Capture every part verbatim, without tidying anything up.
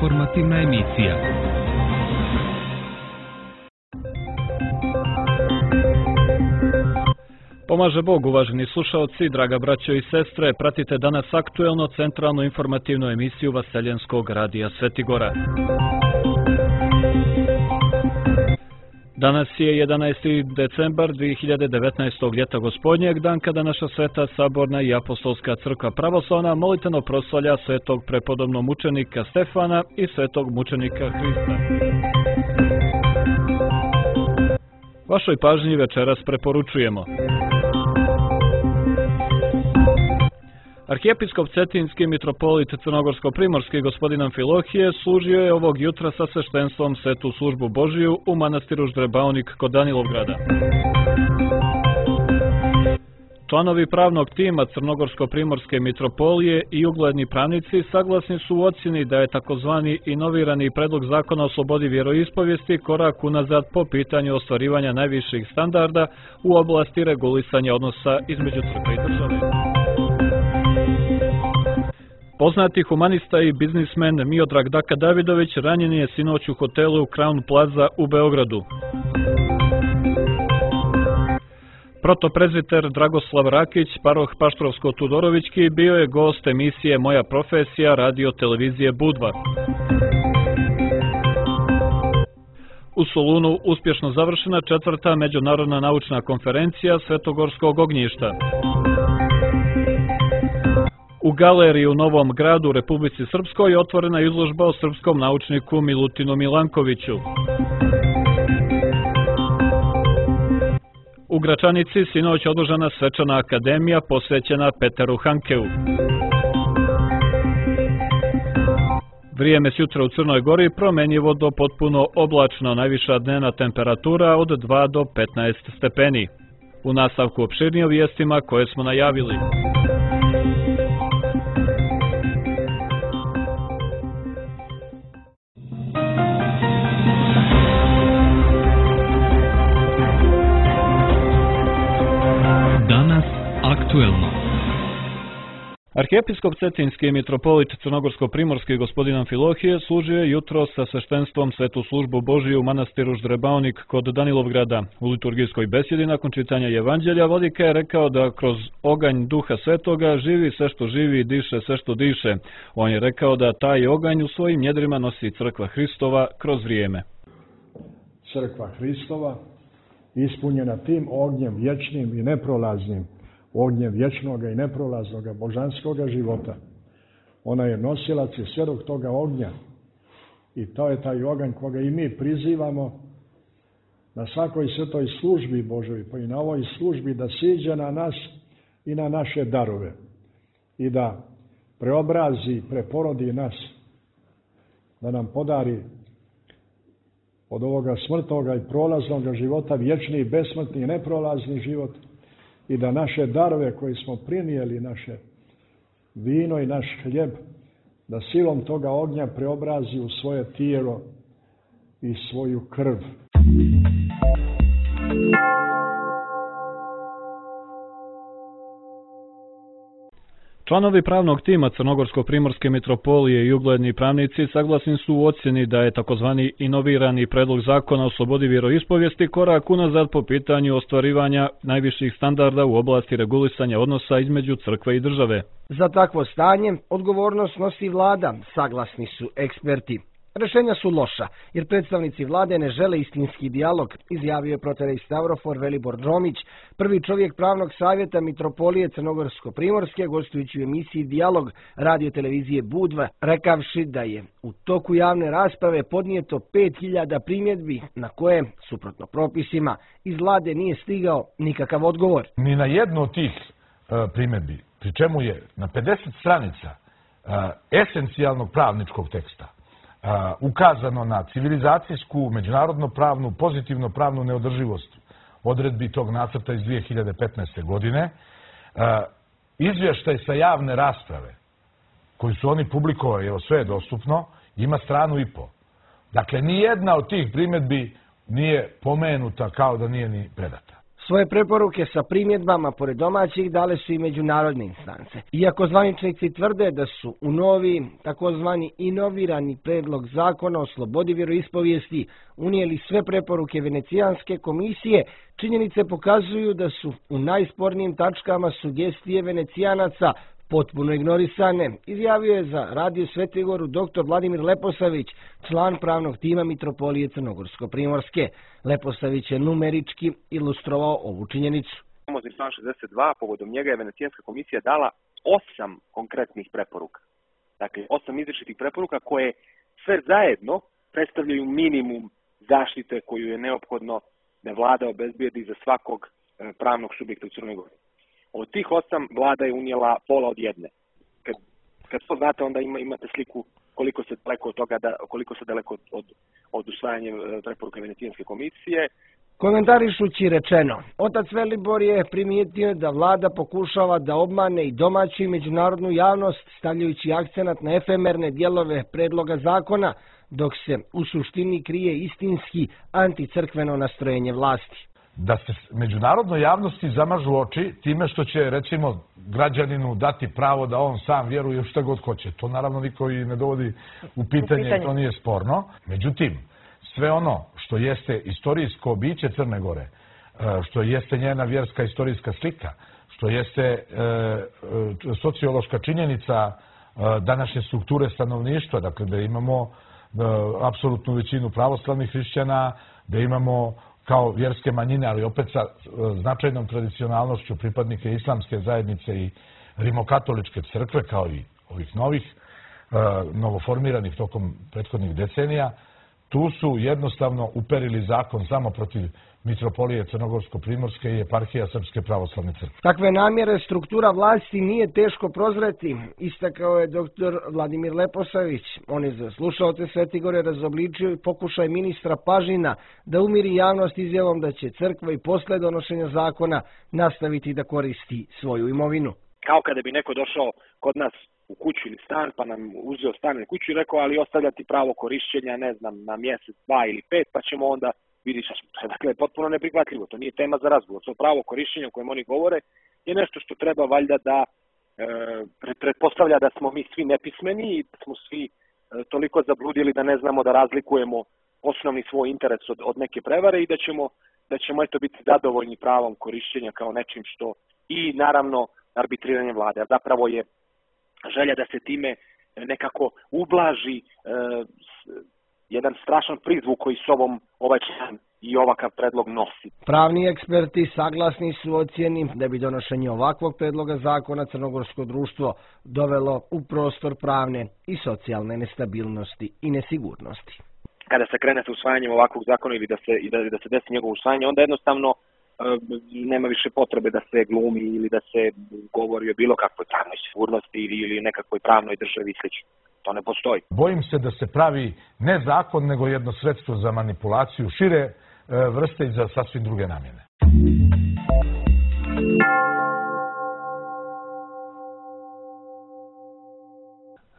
Informativna emisija. Pomaže Bog, uvaženi slušaoci, draga braćo i sestre, pratite danas aktuelno centralnu informativnu emisiju Vaseljenskog radija Svetigora. Danas je jedanaesti decembar dve hiljade devetnaestog. ljeta gospodnjeg, dan kada naša sveta saborna i apostolska crkva pravoslavna molitveno proslavlja svetog prepodobnog mučenika Stefana i svetog mučenika Hrista. Vašoj pažnji večeras preporučujemo. Arhijepiskop Cetinski mitropolit Crnogorsko-primorski gospodin Amfilohije služio je ovog jutra sa sveštenstvom svetu službu Božiju u manastiru Ždrebaonik kod Danilovgrada. Članovi pravnog tima Crnogorsko-primorske mitropolije i ugledni pravnici saglasni su u ocjeni da je takozvani inovirani predlog zakona o slobodi vjeroispovijesti korak unazad po pitanju ostvarivanja najviših standarda u oblasti regulisanja odnosa između crkve i države. Poznati humanista i biznismen Miodrag Daka Davidović ranjen je sinoć u hotelu Crown Plaza u Beogradu. Protoprezbiter Dragoslav Rakić, paroh Paštrovsko-Tudorovićki, bio je gost emisije Moja profesija radio televizije Budva. U Solunu uspješno završena četvrta međunarodna naučna konferencija Svetogorskog ognjišta. U galeriji u Novom Gradu u Republici Srpskoj otvorena izložba o srpskom naučniku Milutinu Milankoviću. U Gračanici sinoć održana svečana akademija posvećena Peteru Hankeu. Vrijeme s jutra u Crnoj Gori promenjivo do potpuno oblačno, najviša dnevna temperatura od dva do petnaest stepeni. U nastavku opširnije o vijestima koje smo najavili. Aktuelno. Arhijepiskop Cetinski mitropolit Crnogorsko-primorski gospodin Amfilohije služio je jutro sa sveštenstvom svetu službu Božiju u manastiru Ždrebaonik kod Danilovgrada. U liturgijskoj besjedi nakon čitanja Evanđelja vladika je rekao da kroz oganj Duha Svetoga živi sve što živi i diše sve što diše. On je rekao da taj oganj u svojim njedrima nosi crkva Hristova kroz vrijeme. Crkva Hristova ispunjena tim ognjem vječnim i neprolaznim, ognjem vječnog i neprolaznog božanskog života. Ona je nosilac i svjedok toga ognja. I to je taj oganj koga i mi prizivamo na svakoj svetoj službi Božoj, pa i na ovoj službi da siđe na nas i na naše darove. I da preobrazi, preporodi nas. Da nam podari od ovoga smrtnoga i prolaznog života vječni, besmrtni i neprolazni život. I da naše darove koje smo prinijeli, naše vino i naš hljeb, da silom toga ognja preobrazi u svoje tijelo i svoju krv. Članovi pravnog tima Crnogorsko-primorske mitropolije i ugledni pravnici saglasni su u ocjeni da je takozvani inovirani predlog zakona o slobodi vjeroispovijesti korak unazad po pitanju ostvarivanja najviših standarda u oblasti regulisanja odnosa između crkve i države. Za takvo stanje odgovornost nosi vlada, saglasni su eksperti. Rešenja su loša, jer predstavnici vlade ne žele istinski dijalog, izjavio je proterej Stavrofor Velibor Džomić, prvi čovjek pravnog savjeta mitropolije Crnogorsko-primorske, gostujući u emisiji Dijalog radio televizije Budva, rekavši da je u toku javne rasprave podnijeto pet hiljada primjedbi na koje, suprotno propisima, iz vlade nije stigao nikakav odgovor. Ni na jednu od tih uh, primjedbi, pri čemu je na pedeset stranica uh, esencijalnog pravničkog teksta Uh, ukazano na civilizacijsku, međunarodno pravnu, pozitivno pravnu neodrživost odredbi tog nacrta iz dvije hiljade petnaeste. godine. Uh, izvještaj sa javne rasprave koji su oni publikovali, evo sve je dostupno, ima stranu i po. Dakle, ni jedna od tih primjedbi nije pomenuta kao da nije ni predata. Svoje preporuke sa primjedbama pored domaćih dale su i međunarodne instance. Iako zvaničnici tvrde da su u novi, takozvani inovirani predlog zakona o slobodi vjeroispovijesti unijeli sve preporuke Venecijanske komisije, činjenice pokazuju da su u najspornijim tačkama sugestije Venecijanaca potpuno ignorisane, izjavio je za Radio Svetigoru doktor Vladimir Leposavić, član pravnog tima Mitropolije Crnogorsko-primorske. Leposavić je numerički ilustrovao ovu činjenicu. Famozni član šezdeset dva, povodom njega je Venecijanska komisija dala osam konkretnih preporuka. Dakle, osam izričitih preporuka koje sve zajedno predstavljaju minimum zaštite koju je neophodno da vlada obezbijedi za svakog pravnog subjekta u Crnoj Gori. Od tih osam vlada je unijela pola od jedne. Kad, kad to znate, onda ima, imate sliku koliko se daleko od toga, da, koliko se daleko od, od, od usvajanja preporuka Venecijanske komisije. Komentarišući rečeno, otac Velibor je primijetio da vlada pokušava da obmane i domaću i međunarodnu javnost, stavljajući akcenat na efemerne dijelove predloga zakona, dok se u suštini krije istinski anticrkveno nastrojenje vlasti. Da se međunarodnoj javnosti zamažu oči time što će, recimo, građaninu dati pravo da on sam vjeruje šta god hoće. To naravno niko i ne dovodi u pitanje, u pitanje. To nije sporno. Međutim, sve ono što jeste istorijsko biće Crne Gore, što jeste njena vjerska istorijska slika, što jeste e, sociološka činjenica današnje strukture stanovništva, dakle da imamo e, apsolutnu većinu pravoslavnih hrišćana, da imamo kao vjerske manjine, ali opet sa značajnom tradicionalnošću pripadnike islamske zajednice i rimokatoličke crkve, kao i ovih novih, novoformiranih tokom prethodnih decenija, tu su jednostavno uperili zakon samo protiv Mitropolije Crnogorsko-primorske i eparhija Srpske pravoslavne crkve. Takve namjere struktura vlasti nije teško prozreti, istakao je doktor Vladimir Leposavić. On je za slušaoce Svetigore razobličio i pokušaj ministra Pažina da umiri javnost izjavom da će crkva i posle donošenja zakona nastaviti da koristi svoju imovinu. Kao kada bi neko došao kod nas u kuću ili stan, pa nam uzeo stan ili kuću i rekao, ali ostavljati pravo korišćenja, ne znam, na mjesec, dva ili pet, pa ćemo onda vidjeti šta smo. Dakle, potpuno neprihvatljivo. To nije tema za razgovor. To pravo korišćenja o kojem oni govore je nešto što treba valjda da e, pretpostavlja da smo mi svi nepismeni i da smo svi e, toliko zabludili da ne znamo da razlikujemo osnovni svoj interes od, od neke prevare i da ćemo, da ćemo eto biti zadovoljni pravom korišćenja kao nečim što i naravno arbitriranje vlade. Zapravo je želja da se time nekako ublaži e, jedan strašan prizvuk koji s ovom ovaj član i ovakav predlog nosi. Pravni eksperti saglasni su ocjeni da bi donošenje ovakvog predloga zakona crnogorsko društvo dovelo u prostor pravne i socijalne nestabilnosti i nesigurnosti. Kada se krene sa usvajanjem ovakvog zakona ili da se, i da, da se desi njegovo usvajanje, onda jednostavno nema više potrebe da se glumi ili da se govori o bilo kakvoj pravnoj sigurnosti ili, ili nekakvoj pravnoj državi i slično. To ne postoji. Bojim se da se pravi ne zakon, nego jedno sredstvo za manipulaciju šire vrste i za sasvim druge namjene.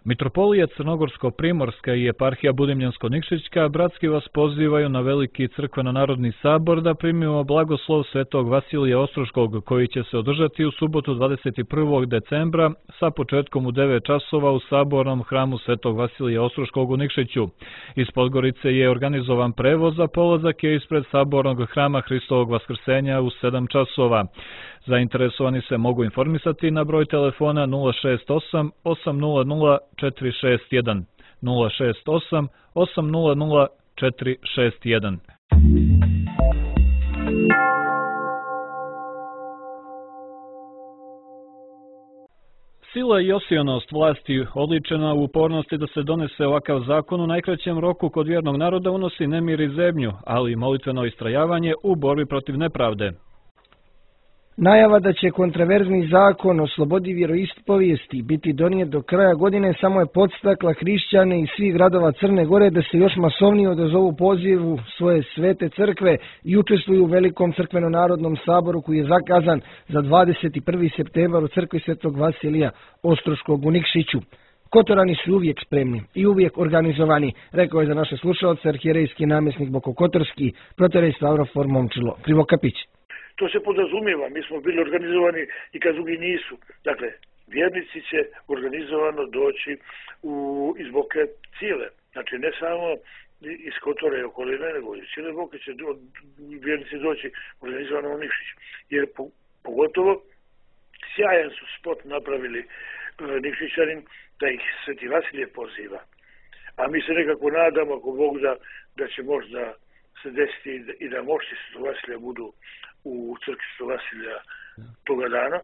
Mitropolija Crnogorsko-primorska i eparhija Budimljansko-Nikšićka bratski vas pozivaju na veliki crkveno-narodni sabor da primimo blagoslov svetog Vasilija Ostroškog, koji će se održati u subotu dvadeset prvog decembra sa početkom u devet časova u sabornom hramu svetog Vasilija Ostroškog u Nikšiću. Iz Podgorice je organizovan prevoz, za polazak je ispred sabornog hrama Hristovog Vaskrsenja u sedam časova. Zainteresovani se mogu informisati na broj telefona nula šest osam osam nula nula četiri šest jedan, nula šest osam osam nula nula četiri šest jedan. Sila i osionost vlasti, odličena u upornosti da se donese ovakav zakon u najkraćem roku kod vjernog naroda, unosi nemir i zebnju, ali i molitveno istrajavanje u borbi protiv nepravde. Najava da će kontraverzni zakon o slobodi vjeroispovijesti biti donijet do kraja godine samo je podstakla hrišćane iz svih gradova Crne Gore da se još masovnije odazovu pozivu svoje svete crkve i učestvuju u velikom crkveno-narodnom saboru koji je zakazan za dvadeset prvi septembar u crkvi svetog Vasilija Ostroškog u Nikšiću. Kotorani su uvijek spremni i uvijek organizovani, rekao je za naše slušalce arhijerejski namjesnik Bokokotorski, protorej Stavrofor Momčilo Krivokapić. to se podrazumijeva. Mi smo bili organizovani i kad drugi nisu. Dakle, vjernici će organizovano doći u, iz Boke cijele. Znači, ne samo iz Kotora i okoline, nego iz cijele Boke će do, vjernici doći organizovano u Nikšić. Jer po, pogotovo sjajan su spot napravili uh, Nikšićanin da ih Sveti Vasilije poziva. A mi se nekako nadamo, ako Bog da, da će možda se desiti i da mošti Svetog Vasilija budu u crkvi Svetog Vasilija toga dana.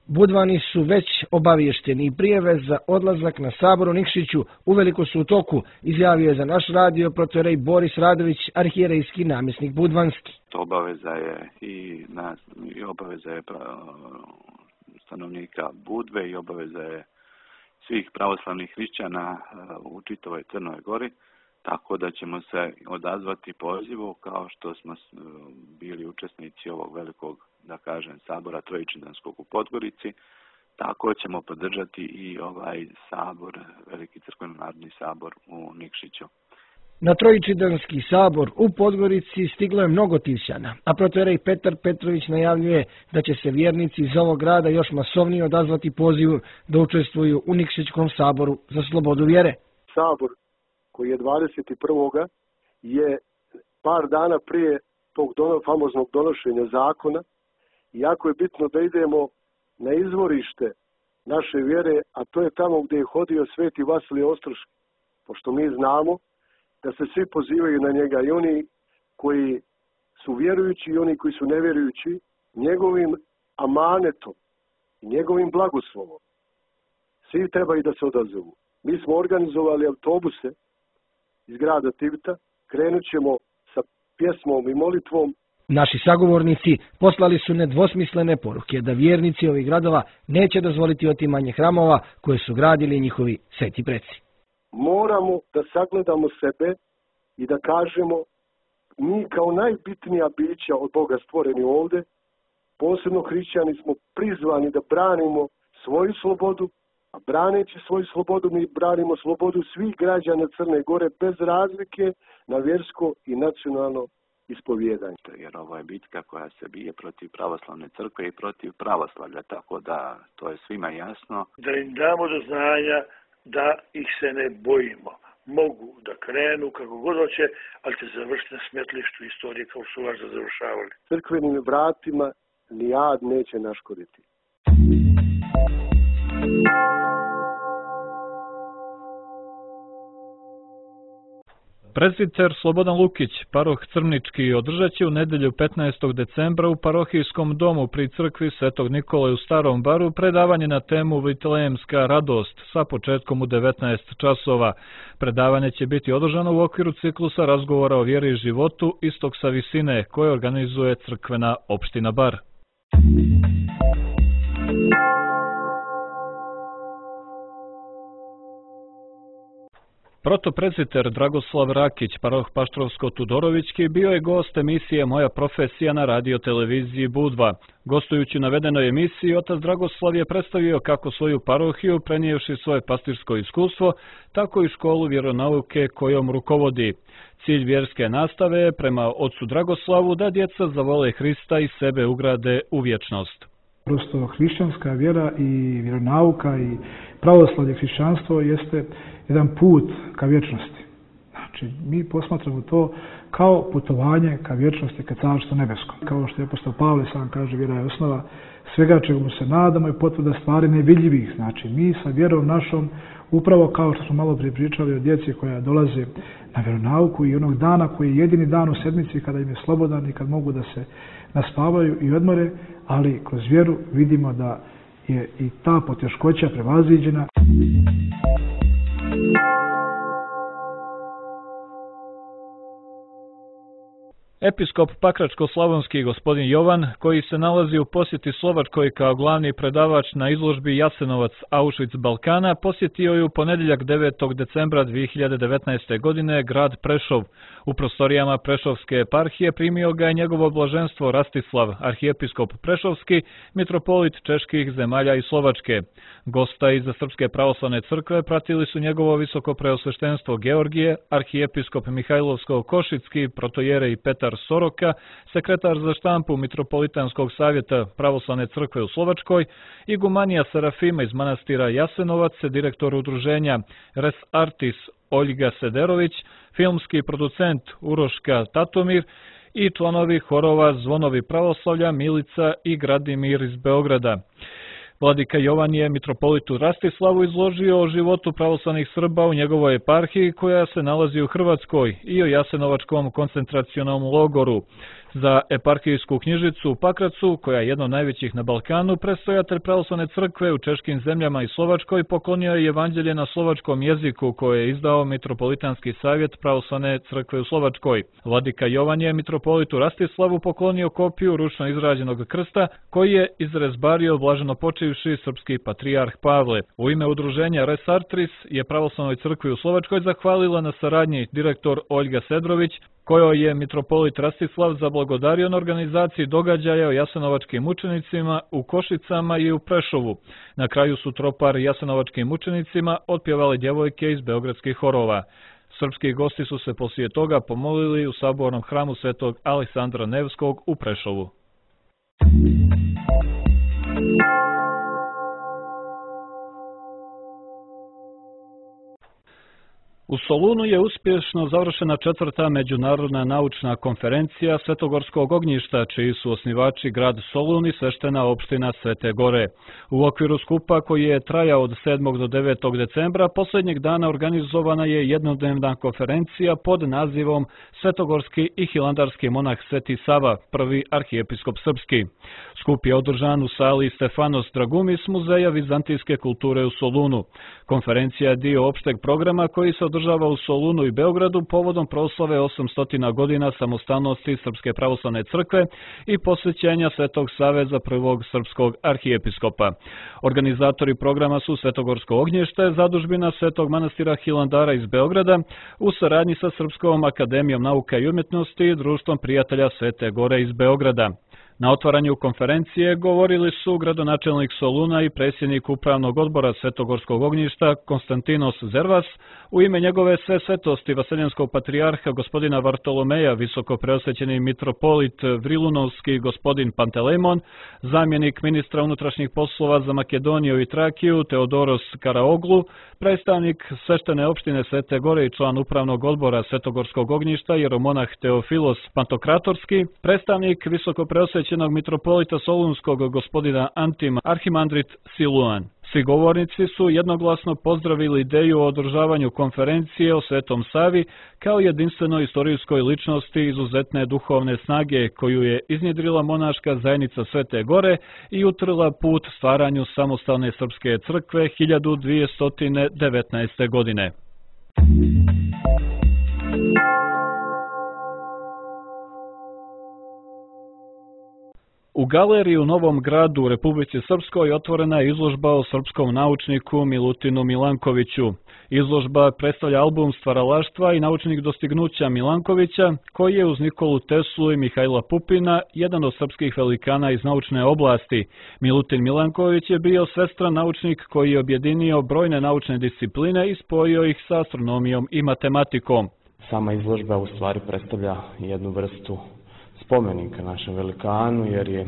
Budvani su već obavješteni i prijave za odlazak na sabor u Nikšiću uveliko su u toku, izjavio je za naš radio protoijerej Boris Radović, arhijerejski namjesnik budvanski. To obaveza je i, nas, i obaveza je stanovnika Budve i obaveza je svih pravoslavnih hrišćana u čitavoj Crnoj Gori, tako da ćemo se odazvati pozivu kao što smo bili učesnici ovog velikog, da kažem, sabora Trojičidanskog u Podgorici, tako ćemo podržati i ovaj sabor, Veliki crkveno-narodni sabor u Nikšiću. Na Trojičidanski sabor u Podgorici stiglo je mnogo Tivšćana, a protoijerej Petar Petrović najavljuje da će se vjernici iz ovog grada još masovnije odazvati pozivu da učestvuju u Nikšićkom saboru za slobodu vjere. Sabor koji je dvadeset prvog je par dana prije tog dono, famoznog donošenja zakona, i jako je bitno da idemo na izvorište naše vjere, a to je tamo gdje je hodio Sveti Vasilije Ostroški, pošto mi znamo da se svi pozivaju na njega, i oni koji su vjerujući i oni koji su nevjerujući, njegovim amanetom i njegovim blagoslovom. Svi trebaju da se odazovu. Mi smo organizovali autobuse iz grada Tivita, krenut ćemo sa pjesmom i molitvom. Naši sagovornici poslali su nedvosmislene poruke da vjernici ovih gradova neće dozvoliti otimanje hramova koje su gradili njihovi sveti preci. Moramo da sagledamo sebe i da kažemo, mi kao najbitnija bića od Boga stvoreni ovdje, posebno hrišćani, smo prizvani da branimo svoju slobodu, a braneći svoju slobodu mi branimo slobodu svih građana Crne Gore bez razlike na vjersko i nacionalno ispovjedanje. Jer ovo je bitka koja se bije protiv pravoslavne crkve i protiv pravoslavlja, tako da to je svima jasno. Da im damo do znanja da ih se ne bojimo. Mogu da krenu kako god hoće, ali će završiti na smetlištu istorije kao su važda završavali. Crkvenim vratima ni ad neće naškoditi. Prezbiter Slobodan Lukić, paroh Crnički, održat će u nedjelju petnaestog decembra u parohijskom domu pri crkvi Svetog Nikole u Starom Baru predavanje na temu Vitlejemska radost sa početkom u devetnaest časova. Predavanje će biti održano u okviru ciklusa razgovora o vjeri i životu Istok sa visine koje organizuje crkvena opština Bar. Protoprezbiter Dragoslav Rakić, paroh Paštrovsko-Tudorovićki, bio je gost emisije Moja profesija na radio televiziji Budva. Gostujući u navedenoj emisiji, otac Dragoslav je predstavio kako svoju parohiju, prenijevši svoje pastirsko iskustvo, tako i školu vjeronauke kojom rukovodi. Cilj vjerske nastave je prema ocu Dragoslavu da djeca zavole Hrista i sebe ugrade u vječnost. Prosto hrišćanska vjera i vjeronauka i pravoslavlje hrišćanstvo jeste jedan put ka vječnosti. Znači, mi posmatramo to kao putovanje ka vječnosti, ka carstvu nebeskom. Kao što je apostol Pavle sam kaže, vjera je osnova svega čemu se nadamo i potvrda stvari nevidljivih. Znači, mi sa vjerom našom, upravo kao što smo malo prije pričali o djeci koja dolaze na vjeronauku i onog dana koji je jedini dan u sedmici kada im je slobodan i kad mogu da se naspavaju i odmore, ali kroz vjeru vidimo da je i ta poteškoća prevaziđena. Episkop Pakračko-slavonski gospodin Jovan, koji se nalazi u posjeti Slovačkoj kao glavni predavač na izložbi Jasenovac Auschwitz Balkana, posjetio je u ponedjeljak devetog decembra dvije hiljade devetnaeste. godine grad Prešov. U prostorijama Prešovske eparhije primio ga je njegovo blaženstvo Rastislav, arhijepiskop Prešovski, mitropolit čeških zemalja i Slovačke. Gosta iz Srpske pravoslavne crkve pratili su njegovo visoko preosveštenstvo Georgije, arhijepiskop Mihajlovsko-Košicki, protoijerej Petar Petar Soroka, sekretar za štampu Mitropolitanskog savjeta Pravoslavne crkve u Slovačkoj, igumanija Serafima iz manastira Jasenovac, direktor udruženja Res Artis Oljga Sederović, filmski producent Uroška Tatomir i članovi horova Zvonovi pravoslavlja Milica i Gradimir iz Beograda. Vladika Jovan je mitropolitu Rastislavu izložio o životu pravoslavnih Srba u njegovoj eparhiji koja se nalazi u Hrvatskoj i o Jasenovačkom koncentracionom logoru. Za eparhijsku knjižicu u Pakracu, koja je jedna od najvećih na Balkanu, predstojatelj pravoslavne crkve u češkim zemljama i Slovačkoj poklonio je evanđelje na slovačkom jeziku koje je izdao Mitropolitanski savjet pravoslavne crkve u Slovačkoj. Vladika Jovan je mitropolitu Rastislavu poklonio kopiju ručno izrađenog krsta koji je izrezbario blaženo počivši srpski patrijarh Pavle. U ime udruženja Res Artis je pravoslavnoj crkvi u Slovačkoj zahvalila na saradnji direktor Oljga Sedrović, kojoj je mitropolit Rastislav zablagodario na organizaciji događaja o jasenovačkim mučenicima u Košicama i u Prešovu. Na kraju su tropar jasenovačkim mučenicima otpjevali djevojke iz beogradskih horova. Srpski gosti su se poslije toga pomolili u sabornom hramu svetog Aleksandra Nevskog u Prešovu. U Solunu je uspješno završena četvrta međunarodna naučna konferencija Svetogorskog ognjišta, čiji su osnivači grad Solun i sveštena opština Svete Gore. U okviru skupa koji je trajao od sedmog do devetog decembra, posljednjeg dana organizovana je jednodnevna konferencija pod nazivom Svetogorski i hilandarski monah Sveti Sava, prvi arhijepiskop srpski. Skup je održan u sali Stefanos Dragumis Muzeja vizantijske kulture u Solunu. Konferencija je dio opšteg programa koji se održava u Solunu i Beogradu povodom proslave osamsto godina samostalnosti Srpske pravoslavne crkve i posvećenja Svetog Save za prvog srpskog arhijepiskopa. Organizatori programa su Svetogorsko ognjište, zadužbina Svetog manastira Hilandara iz Beograda, u saradnji sa Srpskom akademijom nauka i umjetnosti i Društvom prijatelja Svete Gore iz Beograda. Na otvaranju konferencije govorili su gradonačelnik Soluna i predsjednik upravnog odbora Svetogorskog ognjišta Konstantinos Zervas, u ime njegove sve svetosti vaseljenskog patrijarha gospodina Vartolomeja, visoko preosvećeni mitropolit Vrilunovski gospodin Pantelejmon, zamjenik ministra unutrašnjih poslova za Makedoniju i Trakiju Teodoros Karaoglu, predstavnik sveštene opštine Svete Gore i član upravnog odbora Svetogorskog ognjišta jeromonah Teofilos Pantokratorski, predstavnik visoko preosvećenog mitropolita Solunskog gospodina Antim Arhimandrit Siluan. Svi govornici su jednoglasno pozdravili ideju o održavanju konferencije o Svetom Savi kao jedinstvenoj istorijskoj ličnosti izuzetne duhovne snage koju je iznjedrila monaška zajednica Svete Gore i utrla put stvaranju samostalne srpske crkve hiljadu dvjesto devetnaeste. godine. U galeriji u Novom Gradu u Republici Srpskoj otvorena je izložba o srpskom naučniku Milutinu Milankoviću. Izložba predstavlja album stvaralaštva i naučnih dostignuća Milankovića, koji je uz Nikolu Teslu i Mihajla Pupina jedan od srpskih velikana iz naučne oblasti. Milutin Milanković je bio svestran naučnik koji je objedinio brojne naučne discipline i spojio ih sa astronomijom i matematikom. Sama izložba u stvari predstavlja jednu vrstu spomenika našem velikanu, jer je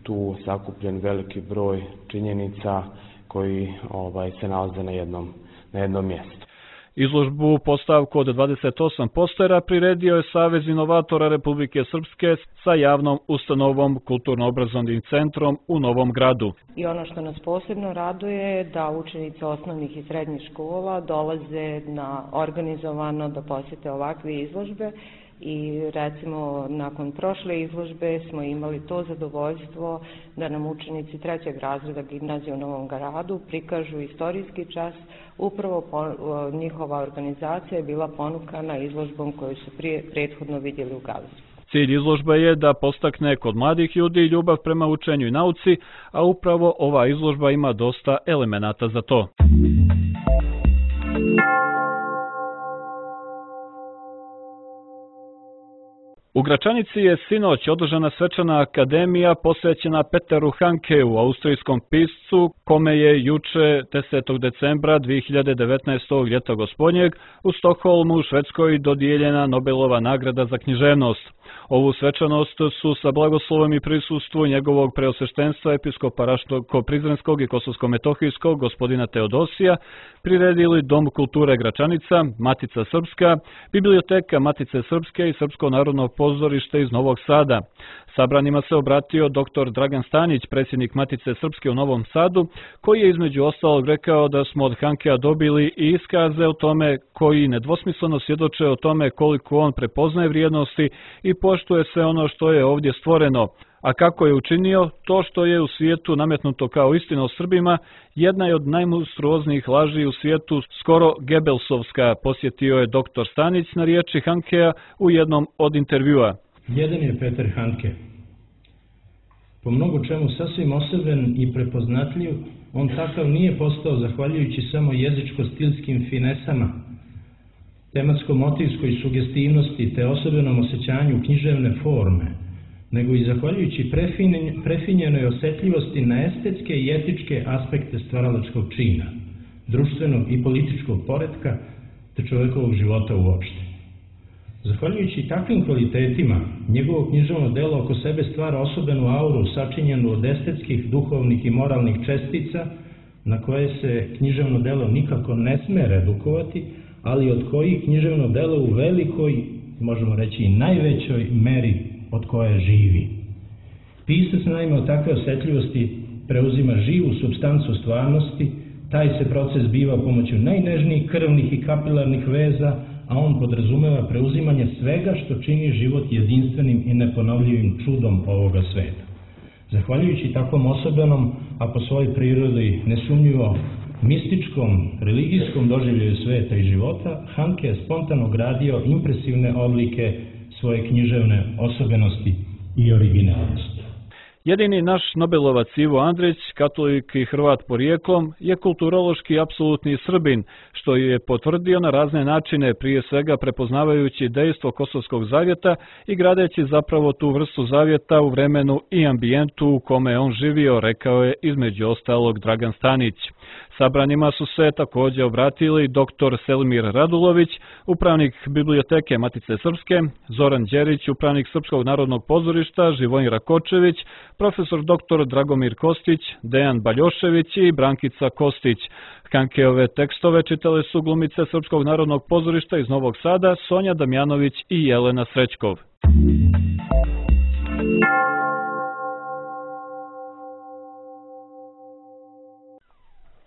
tu sakupljen veliki broj činjenica koji ovaj, se nalaze na jednom, na jednom mjestu. Izložbu postavku od dvadeset osam postera priredio je Savez inovatora Republike Srpske sa javnom ustanovom Kulturno-obrazovnim centrom u Novom Gradu. I ono što nas posebno raduje je da učenici osnovnih i srednjih škola dolaze na organizovano da posjete ovakve izložbe. I recimo nakon prošle izložbe smo imali to zadovoljstvo da nam učenici trećeg razreda gimnazije u Novom Gradu prikažu istorijski čas. Upravo po, njihova organizacija je bila ponukana izložbom koju su prije prethodno vidjeli u galeriji. Cilj izložbe je da postakne kod mladih ljudi ljubav prema učenju i nauci, a upravo ova izložba ima dosta elemenata za to. U Gračanici je sinoć održana svečana akademija posvećena Peteru Hankeu, austrijskom piscu, kome je juče desetog decembra dve hiljade devetnaestog. ljeta gospodnjeg u Stokholmu u Švedskoj dodijeljena Nobelova nagrada za književnost. Ovu svečanost su sa blagoslovom i prisustvu njegovog preosveštenstva episkopa Raško-Prizrenskog i Kosovsko-Metohijskog gospodina Teodosija priredili Dom kulture Gračanica, Matica Srpska, Biblioteka Matice Srpske i Srpsko narodno pozorište iz Novog Sada. Sabranima se obratio doktor Dragan Stanić, predsjednik Matice Srpske u Novom Sadu, koji je između ostalog rekao da smo od Hankea dobili i iskaze o tome koji nedvosmisleno svjedoče o tome koliko on prepoznaje vrijednosti i poštuje sve ono što je ovdje stvoreno. A kako je učinio, to što je u svijetu nametnuto kao istina o Srbima, jedna je od najmonstruoznijih laži u svijetu, skoro Gebelsovska, posjetio je doktor Stanić na riječi Hankea u jednom od intervjua. Jedan je Peter Hanke. Po mnogo čemu sasvim osoben i prepoznatljiv, on takav nije postao zahvaljujući samo jezičko-stilskim finesama, tematsko-motivskoj sugestivnosti te osobenom osjećanju književne forme, nego i zahvaljujući prefinjenoj osjetljivosti na estetske i etičke aspekte stvaralačkog čina, društvenog i političkog poretka te čovjekovog života uopšte. Zahvaljujući takvim kvalitetima, njegovo književno delo oko sebe stvara osobenu auru sačinjenu od estetskih, duhovnih i moralnih čestica na koje se književno delo nikako ne sme redukovati, ali od kojih književno delo u velikoj, možemo reći i najvećoj meri od koje živi. Pisac naime od takve osjetljivosti preuzima živu supstancu stvarnosti, taj se proces biva pomoću najnežnijih krvnih i kapilarnih veza, a on podrazumeva preuzimanje svega što čini život jedinstvenim i neponovljivim čudom ovoga sveta. Zahvaljujući takvom osobenom, a po svojoj prirodi nesumnjivo mističkom, religijskom doživljaju sveta i života, Hanke je spontano gradio impresivne oblike svoje književne osobenosti i originalnosti. Jedini naš Nobelovac Ivo Andrić, katolik i Hrvat porijeklom, je kulturološki apsolutni Srbin, što je potvrdio na razne načine, prije svega prepoznavajući dejstvo Kosovskog zavjeta i gradeći zapravo tu vrstu zavjeta u vremenu i ambijentu u kome je on živio, rekao je između ostalog Dragan Stanić. Sabranima su se također obratili doktor Selmir Radulović, upravnik Biblioteke Matice Srpske, Zoran Đerić, upravnik Srpskog narodnog pozorišta, Živojin Rakočević, profesor doktor Dragomir Kostić, Dejan Baljošević i Brankica Kostić. Hankeove tekstove čitale su glumice Srpskog narodnog pozorišta iz Novog Sada, Sonja Damjanović i Jelena Srećkov.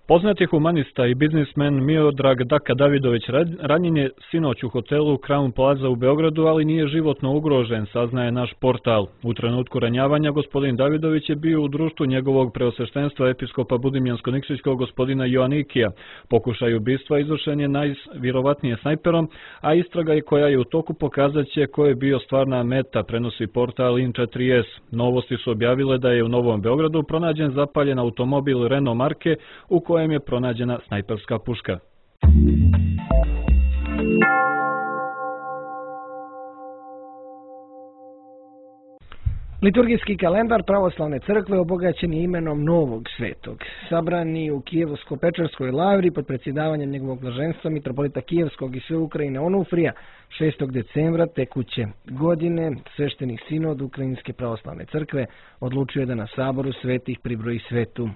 Poznati humanista i biznismen Miodrag Daka Davidović ranjen je sinoć u hotelu Crown Plaza u Beogradu, ali nije životno ugrožen, saznaje naš portal. U trenutku ranjavanja gospodin Davidović je bio u društvu njegovog preosveštenstva episkopa Budimljansko-Nikšićkog gospodina Joanikija. Pokušaj ubistva izvršen je najvjerovatnije snajperom, a istraga je koja je u toku pokazat će ko je bio stvarna meta, prenosi portal in četiri es. Novosti su objavile da je u Novom Beogradu pronađen zapaljen automobil Renault marke u kojem je pronađena snajperska puška. Liturgijski kalendar pravoslavne crkve obogaćen je imenom Novog Svetog. Sabrani u Kijevsko-Pečerskoj lavri pod predsjedavanjem njegovog blaženstva mitropolita Kijevskog i sve Ukrajine Onufrija šestog decembra tekuće godine svešteni sinod Ukrajinske pravoslavne crkve odlučio je da na saboru svetih pribroji svetu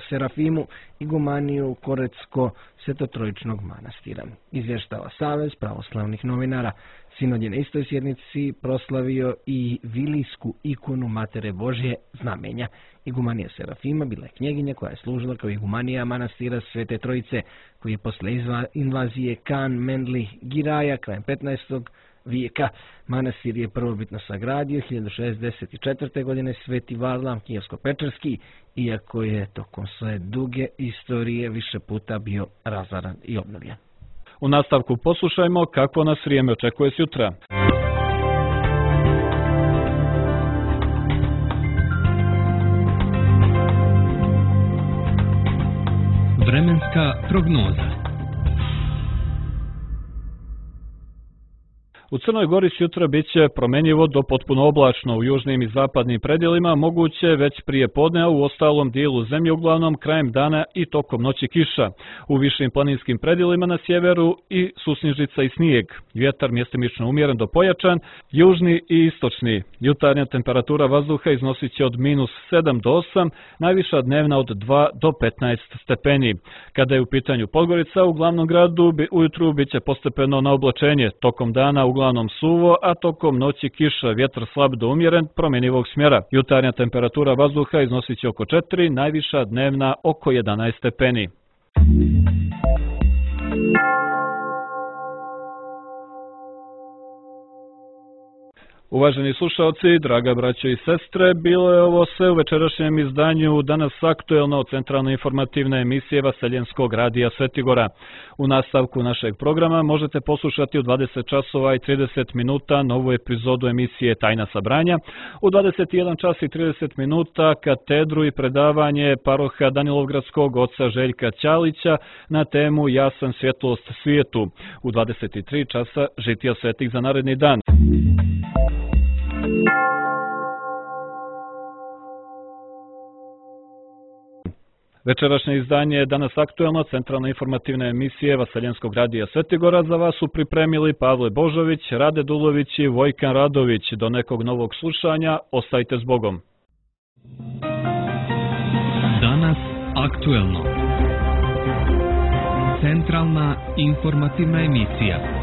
Serafimu igumaniju Korecko-Svetotrojičnog manastira. Izvještava Savez pravoslavnih novinara. Sinod je na istoj sjednici proslavio i vilijsku ikonu Matere Božje znamenja. Igumanija Serafima bila je knjeginja koja je služila kao igumanija manastira Svete Trojice, koji je posle invazije Kan Mendli Giraja krajem petnaestog vijeka. Manastir je prvobitno sagradio hiljadu šezdeset četvrte. godine Sveti Varlam Kijevsko-Pečerski, iako je tokom svoje duge istorije više puta bio razaran i obnovljen. U nastavku poslušajmo kako nas vrijeme očekuje sutra. Vremenska prognoza. U Crnoj Gori sutra bit će promenjivo do potpuno oblačno. U južnim i zapadnim predjelima moguće već prije podne, a u ostalom dijelu zemlje uglavnom krajem dana i tokom noći kiša. U višim planinskim predjelima na sjeveru i susnižica i snijeg. Vjetar mjestimično umjeren do pojačan, južni i istočni. Jutarnja temperatura vazduha iznosit će od minus sedam do osam, najviša dnevna od dva do petnaest stepeni. Kada je u pitanju Podgorica, u glavnom gradu ujutru bit će postepeno na oblačenje, tokom dana uglavnom suvo, a tokom noći kiša, vjetar slab do umjeren, promjenjivog smjera. Jutarnja temperatura vazduha iznosit će oko četiri, najviša dnevna oko jedanaest stepeni. Uvaženi slušalci, draga braćo i sestre, bilo je ovo sve u večerašnjem izdanju Danas aktuelno centralno informativne emisije Vaseljenskog radija Svetigora. U nastavku našeg programa možete poslušati u dvadeset časova i trideset minuta novu epizodu emisije Tajna sabranja, u dvadeset jedan čas i trideset minuta katedru i predavanje paroha Danilovgradskog oca Željka Ćalića na temu Ja sam svjetlost svijetu, u dvadeset tri časa žitija svetih za naredni dan. Večerašnje izdanje je Danas aktuelno centralna informativna emisije Vaseljenskog radija Svetigora. Za vas su pripremili Pavle Božović, Rade Dulović i Vojkan Radović. Do nekog novog slušanja, ostajte s Bogom. Danas aktuelno. Centralna informativna emisija.